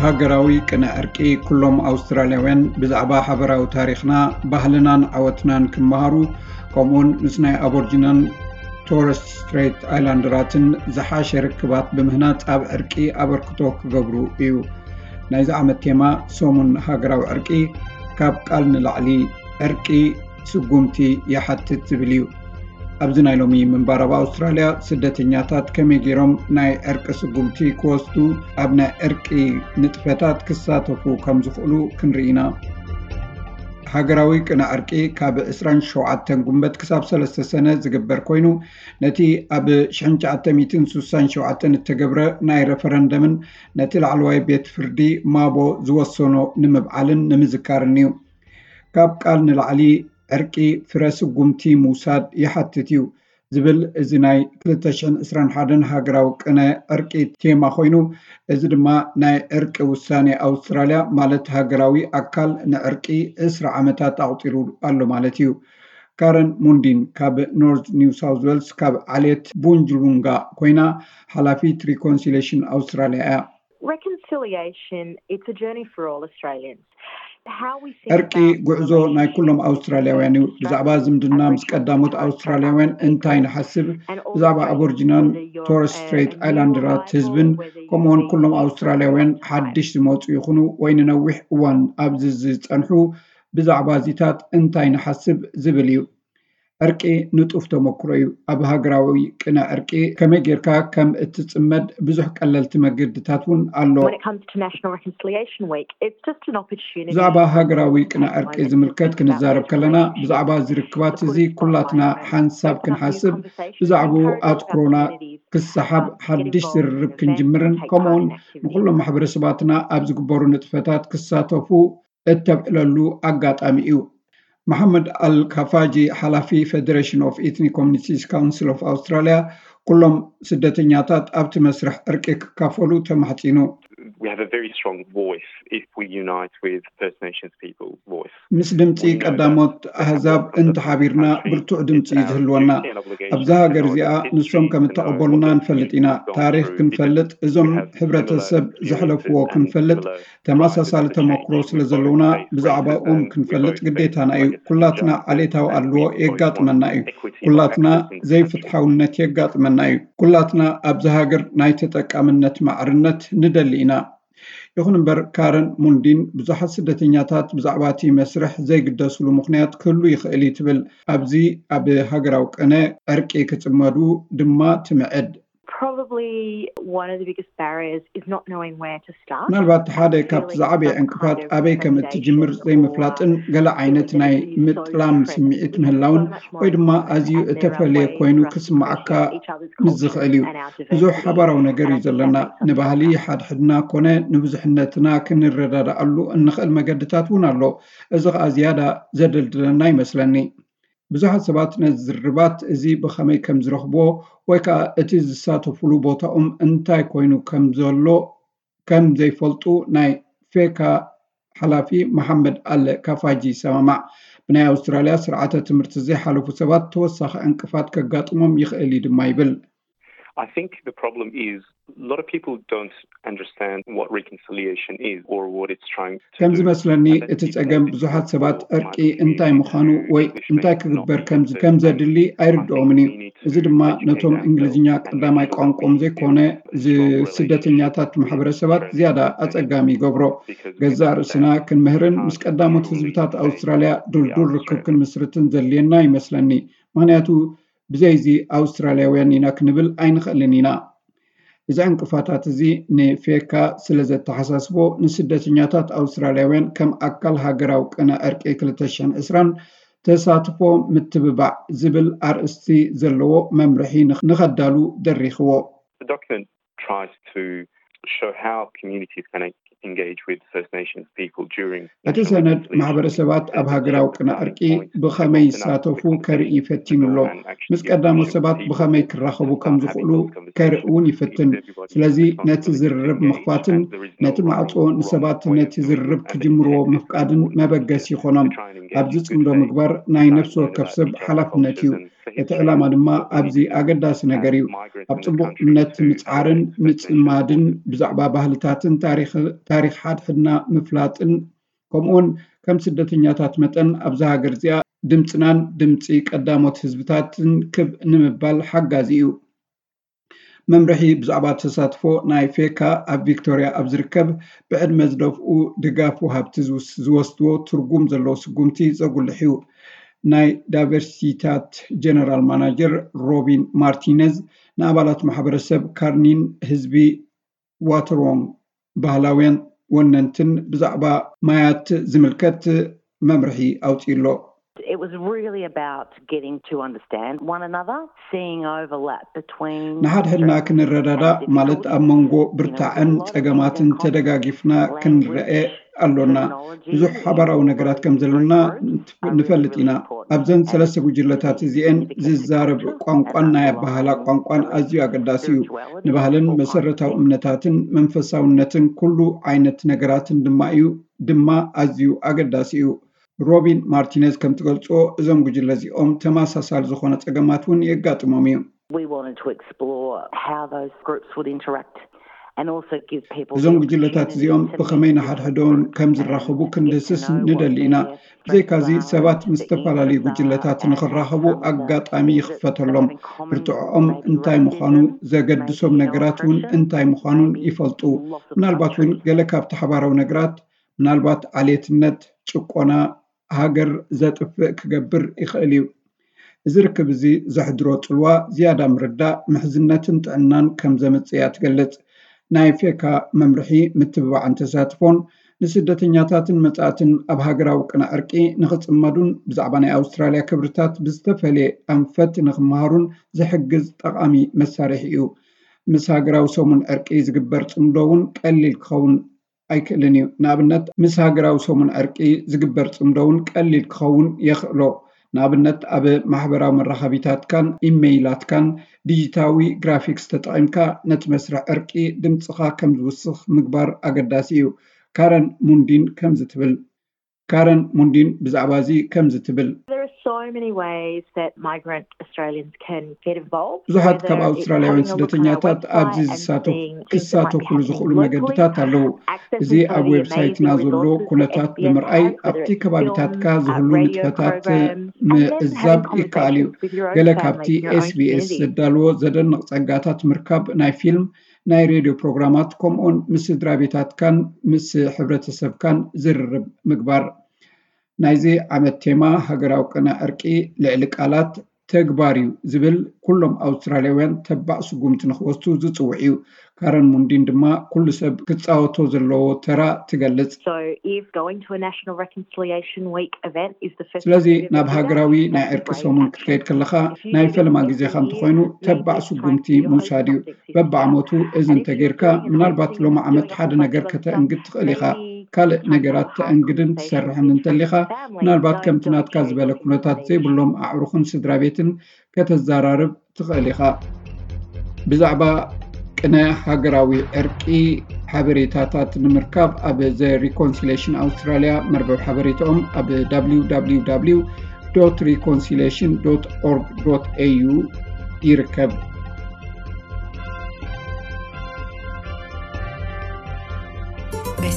ሃገራዊ ቅነ ዕርቂ ኩሎም ኣውስትራልያውያን ብዛዕባ ሓበራዊ ታሪኽና፣ ባህልናን ዓወትናን ክመሃሩ፣ ከምኡውን ምስ ናይ ኣቦርጂናን ቶረስ ስትሬት ኣይላንደራትን ዝሓሸ ርክባት ብምህናጽ ኣብ ዕርቂ ኣበርክቶ ክገብሩ እዩ። ናይዚ ዓመት ቴማ ሰሙን ሃገራዊ ዕርቂ ካብ ቃል ንላዕሊ ዕርቂ ስጉምቲ ይሓትት ዝብል እዩ። ኣብዚ ናይ ሎሚ ምንባር ኣብ ኣውስትራልያ ስደተኛታት ከመይ ገይሮም ናይ ዕርቂ ስጉምቲ ክወስዱ፣ ኣብ ናይ ዕርቂ ንጥፈታት ክሳተፉ ከም ዝኽእሉ ክንርኢ ኢና። ሃገራዊ ቅነ ዕርቂ ካብ ዕስራን ሸውዓተን ጉንበት ክሳብ ሰለስተ ሰነ ዝግበር ኮይኑ፣ ነቲ ኣብ ሽሕን ትሽዓተ ሚእትን ስሳን ሸውዓተን እተገብረ ናይ ረፈረንደምን ነቲ ላዕለዋይ ቤት ፍርዲ ማቦ ዝወሰኖ ንምብዓልን ንምዝካርን እዩ። ካብ ቃል ንላዕሊ ዕርቂ ፍረ ስጉምቲ ምውሳድ ይሓትት እዩ ዝብል እዚ ናይ ክልተ ሽሕን ዕስራን ሓደን ሃገራዊ ቅነ ዕርቂ ቴማ ኮይኑ፣ እዚ ድማ ናይ ዕርቂ ውሳኔ ኣውስትራልያ ማለት ሃገራዊ ኣካል ንዕርቂ ዕስራ ዓመታት ኣቑጺሩ ኣሎ ማለት እዩ። ካረን ሙንዲን ካብ ኖርዝ ኒው ሳውዝ ዌልስ ካብ ዓሌት ቡንጅሉንጋ ኮይና ሓላፊት ሪኮንሲሌሽን ኣውስትራልያ እያ። Reconciliation, it's a journey for all Australians. How we think ዕርቂ about ጉዕዞ ናይ relationships ኩሎም ኣውስትራልያውያን እዩ። Australians ብዛዕባ ዝምድና as ምስ Regional ቀዳሞት Torres Strait ኣውስትራልያውያን Islander እንታይ people ንሓስብ፣ and ብዛዕባ also ኣቦርጂናን whether you're ቶረስ a, ስትሬት a newer ኣይላንደራት arrival, ህዝብን whether you're ከምኡውን ኩሎም a, a አውስትራልያውያን first time ሓድሽ ዝመጹ ይኹኑ ወይ ንነዊሕ እዋን ኣብዚ ዝጸንሑ፣ ብዛዕባ እዚታት እንታይ ንሓስብ ዝብል እዩ። ዕርቂ ንጡፍ ተመክሮ እዩ። ኣብ ሃገራዊ ቅነ ዕርቂ ከመይ ጌርካ ከም እትጽመድ ብዙሕ ቀለልቲ መገድታት እውን ኣሎ። When it comes to National Reconciliation Week, it's just an opportunity ብዛዕባ ሃገራዊ ቅነ ዕርቂ ዝምልከት ክንዛረብ ከለና ብዛዕባ እዚ ርክባት እዚ ኩላትና ሓንሳብ ክንሓስብ፣ ብዛዕባኡ ኣትኩሮና ክሰሓብ፣ ሓድሽ ዝርርብ ክንጅምርን ከምኡውን ንኩሎም ማሕበረሰባትና ኣብ ዝግበሩ ንጥፈታት ክሳተፉ እተብዕለሉ ኣጋጣሚ እዩ። መሓመድ ኣል ካፋጂ ሓላፊ Federation of Ethnic Communities Council of Australia ኩሎም ስደተኛታት ኣብቲ መስርሕ ዕርቂ ክካፈሉ ተማሕጺኑ። We have a very strong voice if we unite with First Nations people's voice. ምስ ድምፂ ቀዳሞት ኣህዛብ እንተሓቢርና ብርቱዕ ድምፂ እዩ ዝህልወና። ኣብዛ ሃገር እዚኣ ንሶም ከም እተቐበሉና ንፈልጥ ኢና። ታሪኽ ክንፈልጥ፣ እዞም ሕብረተሰብ ዘሕለፍዎ ክንፈልጥ፣ ተመሳሳሊ ተመክሮ ስለ ዘለውና ብዛዕባኦም ክንፈልጥ ግዴታና እዩ። ኩላትና ዓሌታዊ ኣድልዎ የጋጥመና እዩ። ኩላትና ዘይፍትሓውነት የጋጥመና እዩ። ኩላትና ኣብዚ ሃገር ናይ ተጠቃምነት ማዕርነት ንደሊ ኢና። ይኹን እምበር ካረን ሙንዲን ብዙሓት ስደተኛታት ብዛዕባ እቲ መስርሕ ዘይግደስሉ ምኽንያት ክህሉ ይኽእል እዩ ትብል። ኣብዚ ኣብ ሃገራዊ ቅነ ዕርቂ ክጽመዱ ድማ ትምዕድ። Probably one of the biggest barriers is not knowing where to start. ምናልባት ሓደ ካብቲ ዝዓበየ ዕንቅፋት ኣበይ ከም እትጅምር ዘይምፍላጥን ገለ ዓይነት ናይ ምጥላም ስምዒት ምህላውን ወይ ድማ ኣዝዩ እተፈለየ ኮይኑ ክስምዓካ ምስ ዝኽእል እዩ። ብዙሕ ሓባራዊ ነገር እዩ ዘለና። ንባህሊ ሓድሕድና ኮነ ንብዙሕነትና ክንረዳድኣሉ እንኽእል መገድታት እውን ኣሎ። እዚ ኸኣ ዝያዳ ዘደልድለና ይመስለኒ። ብዙሓት ሰባት ነዚ ዝርርባት እዚ ብኸመይ ከም ዝረኽብዎ ወይ ከኣ እቲ ዝሳተፉሉ ቦታኦም እንታይ ኮይኑ ከም ዘሎ ከም ዘይፈልጡ ናይ ፌካ ሓላፊ መሓመድ ኣለ ካፋጂ ይሰማማዕ። ብናይ ኣውስትራልያ ስርዓተ ትምህርቲ ዘይሓለፉ ሰባት ተወሳኺ ዕንቅፋት ከጋጥሞም ይኽእል እዩ ድማ ይብል። I think the problem is a lot of people don't understand what reconciliation is or what it's trying to ከም do. ዝመስለኒ እቲ ጸገም ብዙሓት ሰባት ዕርቂ እንታይ ምዃኑ ወይ እንታይ ክግበር ከም ዘድሊ ኣይርድኦምን እዩ። እዚ ድማ ነቶም እንግሊዝኛ ቀዳማይ ቋንቋኦም ዘይኮነ ስደተኛታት ማሕበረሰባት ዝያዳ ኣጸጋሚ ይገብሮ። ገዛእ ርእስና ክንምህርን ምስ ቀዳሞት ህዝብታት ኣውስትራልያ ድልዱል ርክብ ክንምስርትን ዘድልየና ይመስለኒ። ምኽንያቱ ብዘይዚ ኣውስትራልያውያን ኢና ክንብል ኣይንኽእልን ኢና። እዚ ዕንቅፋታት እዚ ንፌካ ስለ ዘተሓሳስቦ፣ ንስደተኛታት ኣውስትራልያውያን ከም ኣካል ሃገራዊ ቅነ ዕርቂ ክልተ ሽሕን ዕስራን ተሳትፎ ምትብባዕ ዝብል ኣርእስቲ ዘለዎ መምርሒ ንኸዳሉ ደሪኽዎ። The document tries to show how communities can engage with First Nations people during እቲ ሰነድ ማሕበረሰባት ኣብ ሃገራዊ ቅነ ዕርቂ ብኸመይ ይሳተፉ ከርኢ ፈቲኑ ኣሎ። ምስ ቀዳሞት ሰባት ብኸመይ ክራኸቡ ከም ዝኽእሉ ከርኢ እውን ይፍትን። ስለዚ ነቲ ዝርርብ ምኽፋትን ነቲ ማዕጾ ንሰባት ነቲ ዝርርብ ክጅምርዎ ምፍቃድን መበገሲ ይኾኖም። ኣብዚ ጽምዶ ምግባር ናይ ነፍሲ ወከፍ ሰብ ሓላፍነት እዩ። እቲ ዕላማ ድማ ኣብዚ ኣገዳሲ ነገር እዩ። ኣብ ጽቡቕ እምነት ምጽዓርን ምጽማድን፣ ብዛዕባ ባህልታትን ታሪኽ ሓድሕድና ምፍላጥን፣ ከምኡውን ከም ስደተኛታት መጠን ኣብዛ ሃገር እዚኣ ድምጽናን ድምጺ ቀዳሞት ህዝብታትን ክብ ንምባል ሓጋዚ እዩ። መምርሒ ብዛዕባ ተሳትፎ ናይ ፌካ ኣብ ቪክቶርያ ኣብ ዝርከብ ብዕድመ ዝደፍኡ ድጋፍ ወሃብቲ ዝወስድዎ ትርጉም ዘለዎ ስጉምቲ ዘጉልሕ እዩ። ናይ ዳይቨርሲታት ጀነራል ማናጀር ሮቢን ማርቲነዝ ንኣባላት ማሕበረሰብ ካርኒን ህዝቢ ዋተርዎንግ ባህላውያን ወነንትን ብዛዕባ ማያት ዝምልከት መምርሒ ኣውፅኡ ኣሎ። It was really about getting to understand one another, seeing overlap between ንሓድሕድና ክንረዳዳእ ማለት ኣብ መንጎ ብርታዕን ጸገማትን ተደጋጊፍና ክንረአ ኣሎና። ብዙሕ ሓባራዊ ነገራት ከም ዘለና ንፈልጥ ኢና። ኣብዘን ሰለስተ ጉጅለታት እዚኤን ዝዛረብ ቋንቋን ናይ ኣባህላ ቋንቋን ኣዝዩ ኣገዳሲ እዩ። ንባህልን መሰረታዊ እምነታትን መንፈሳውነትን ኩሉ ዓይነት ነገራትን ድማ እዩ ድማ ኣዝዩ ኣገዳሲ እዩ። ሮቢን ማርቲነዝ ከም ትገልጾ እዞም ጉጅለ እዚኦም ተመሳሳሊ ዝኾነ ጸገማት እውን የጋጥሞም እዩ። We wanted to explore how those groups would interact and also give people እዞም ጉጅለታት እዚኦም ብኸመይ ንሓድሕዶም ከም ዝራኸቡ ክንድህስስ ንደሊ ኢና። ብዘይካዚ ሰባት ምስ ዝተፈላለዩ ጉጅለታት ንኽራኸቡ ኣጋጣሚ ይኽፈተሎም። ብርትዖኦም እንታይ ምዃኑ፣ ዘገድሶም ነገራት እውን እንታይ ምዃኑን ይፈልጡ። ምናልባት እውን ገለ ካብቲ ሓባራዊ ነገራት ምናልባት ዓሌትነት፣ ጭቆና፣ ሃገር ዘጥፍእ ክገብር ይኽእል እዩ። እዚ ርክብ እዚ ዘሕድሮ ጽልዋ ዝያዳ ምርዳእ፣ ምሕዝነትን ጥዕናን ከም ዘምጽእ እያ ትገልጽ። ናይ ፌካ መምርሒ ምትብባዕን ተሳትፎን ንስደተኛታትን መጻእትን ኣብ ሃገራዊ ቅነ ዕርቂ ንኽጽመዱን ብዛዕባ ናይ ኣውስትራልያ ክብርታት ብዝተፈልየ ኣንፈት ንኽመሃሩን ዝሕግዝ ጠቓሚ መሳርሒ እዩ። ምስ ሃገራዊ ሰሙን ዕርቂ ዝግበር ጽምዶ እውን ቀሊል ክኸውን ኣይክእልን እዩ። ንኣብነት ምስ ሃገራዊ ሰሙን ዕርቂ ዝግበር ጽምዶ እውን ቀሊል ክኸውን የኽእሎ። ንኣብነት ኣብ ማሕበራዊ መራኸቢታትካን ኢመይላትካን ዲጂታዊ ግራፊክስ ተጠቒምካ ነቲ መስርሕ ዕርቂ ድምጽኻ ከም ዝውስኽ ምግባር ኣገዳሲ እዩ። ካረን ሙንዲን ከምዚ ትብል። ካረን ሙንዲን ብዛዕባ እዚ ከምዚ ትብል። There are so many ways that migrant Australians can get involved. ብዙሓት ካብ ኣውስትራልያውያን ስደተኛታት ኣብዚ ክሳተፉሉ ዝኽእሉ መገድታት ኣለዉ። እዚ ኣብ ዌብሳይትና ዘሎ ኩነታት ብምርኣይ ኣብቲ ከባቢታትካ ዝህሉ ንጥፈታት ምዕዛብ ይከኣል እዩ። ገለ ካብቲ ኤስቢኤስ ዘዳልዎ ዘደንቕ ጸጋታት ምርካብ ናይ ፊልም፣ ናይ ሬድዮ ፕሮግራማት፣ ከምኡውን ምስ ስድራ ቤታትካን ምስ ሕብረተሰብካን ዝርርብ ምግባር። ናይዚ ዓመት ቴማ ሃገራዊ ቅነ ዕርቂ ልዕሊ ቃላት ተግባር እዩ ዝብል ኩሎም ኣውስትራልያውያን ተባዕ ስጉምቲ ንክወስዱ ዝፅውዕ እዩ። ካረን ሙንዲን ድማ ኩሉ ሰብ ክፃወቶ ዘለዎ ተራ ትገልፅ። So if going to a National Reconciliation Week event is the first ስለዚ ናብ ሃገራዊ ናይ ዕርቂ ሰሙን ክትከይድ ከለኻ ናይ ፈለማ ግዜኻ እንተኾይኑ ተባዕ ስጉምቲ ምውሳድ እዩ። በብዓመቱ እዚ እንተጌርካ ምናልባት ሎሚ ዓመት ሓደ ነገር ከተእንግድ ትኽእል ኢኻ። ካልእ ነገራት ተእንግድን ትሰርሕን እንተሊኻ ምናልባት ከምቲ ናትካ ዝበለ ኩነታት ዘይብሎም ኣዕሩኽን ስድራ ቤትን ከተዘራርብ ትኽእል ኢኻ። ብዛዕባ ቅነ ሃገራዊ ዕርቂ ሓበሬታታት ንምርካብ ኣብ ዘ ሪኮንሲሌሽን ኣውስትራልያ መርበብ ሓበሬታኦም ኣብ www reconciliation org au ይርከብ።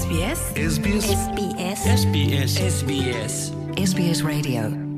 SBS SBS SBS SBS SBS Radio